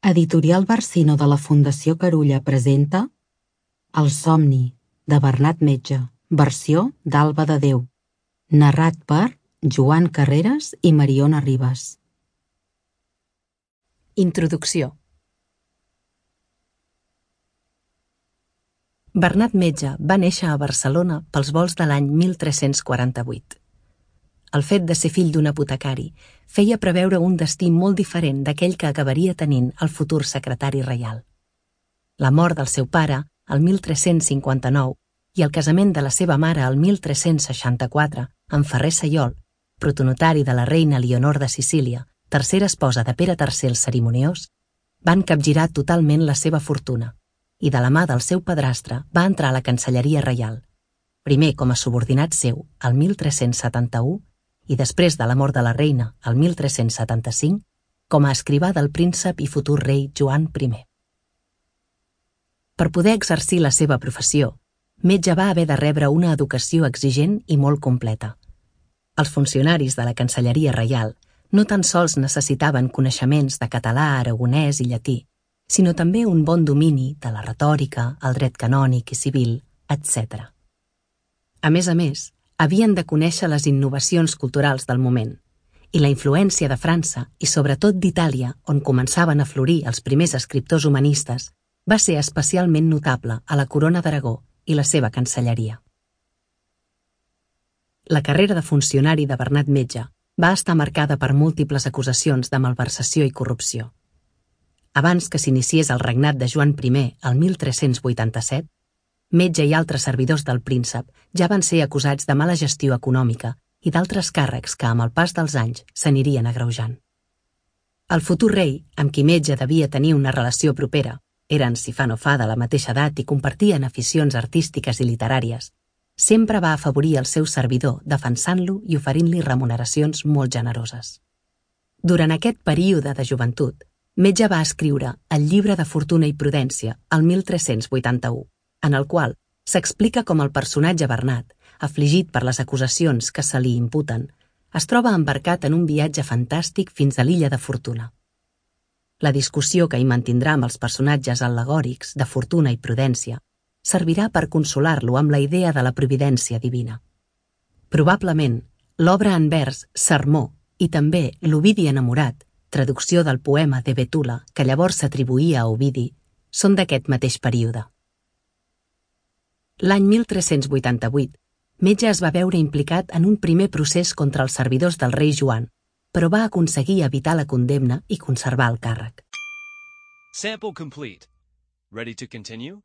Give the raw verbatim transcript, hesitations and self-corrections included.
Editorial Barcino de la Fundació Carulla presenta El somni, de Bernat Metge, versió d'Alba de Déu, narrat per Joan Carreras i Mariona Ribas. Introducció. Bernat Metge va néixer a Barcelona pels volts de l'any mil tres-cents quaranta-vuit. El fet de ser fill d'un apotecari feia preveure un destí molt diferent d'aquell que acabaria tenint el futur secretari reial. La mort del seu pare, el mil tres-cents cinquanta-nou, i el casament de la seva mare, el mil tres-cents seixanta-quatre, amb Ferrer Saiol, protonotari de la reina Elionor de Sicília, tercera esposa de Pere tercer el Cerimoniós, van capgirar totalment la seva fortuna, i de la mà del seu padrastre va entrar a la Cancelleria Reial, primer com a subordinat seu, el mil tres-cents setanta-u, i després de la mort de la reina, el mil tres-cents setanta-cinc, com a escrivà del príncep i futur rei Joan primer. Per poder exercir la seva professió, Metge va haver de rebre una educació exigent i molt completa. Els funcionaris de la Cancelleria Reial no tan sols necessitaven coneixements de català, aragonès i llatí, sinó també un bon domini de la retòrica, el dret canònic i civil, etcètera. A més a més, havien de conèixer les innovacions culturals del moment, i la influència de França i sobretot d'Itàlia, on començaven a florir els primers escriptors humanistes, va ser especialment notable a la Corona d'Aragó i la seva cancelleria. La carrera de funcionari de Bernat Metge va estar marcada per múltiples acusacions de malversació i corrupció. Abans que s'iniciés el regnat de Joan primer, el mil tres-cents vuitanta-set, Metge i altres servidors del príncep ja van ser acusats de mala gestió econòmica i d'altres càrrecs que, amb el pas dels anys, s'anirien agreujant. El futur rei, amb qui Metge devia tenir una relació propera, eren, si fa no fa, de la mateixa edat i compartien aficions artístiques i literàries, sempre va afavorir el seu servidor defensant-lo i oferint-li remuneracions molt generoses. Durant aquest període de joventut, Metge va escriure el Llibre de Fortuna i Prudència, el mil tres-cents vuitanta-u, en el qual s'explica com el personatge Bernat, afligit per les acusacions que se li imputen, es troba embarcat en un viatge fantàstic fins a l'illa de Fortuna. La discussió que hi mantindrà amb els personatges al·legòrics de Fortuna i Prudència servirà per consolar-lo amb la idea de la providència divina. Probablement, l'obra en vers Sermó i també l'Ovidi enamorat, traducció del poema de Betula que llavors s'atribuïa a Ovidi, són d'aquest mateix període. L'any mil tres-cents vuitanta-vuit, Metge es va veure implicat en un primer procés contra els servidors del rei Joan, però va aconseguir evitar la condemna i conservar el càrrec. Sample complete. Ready to continue?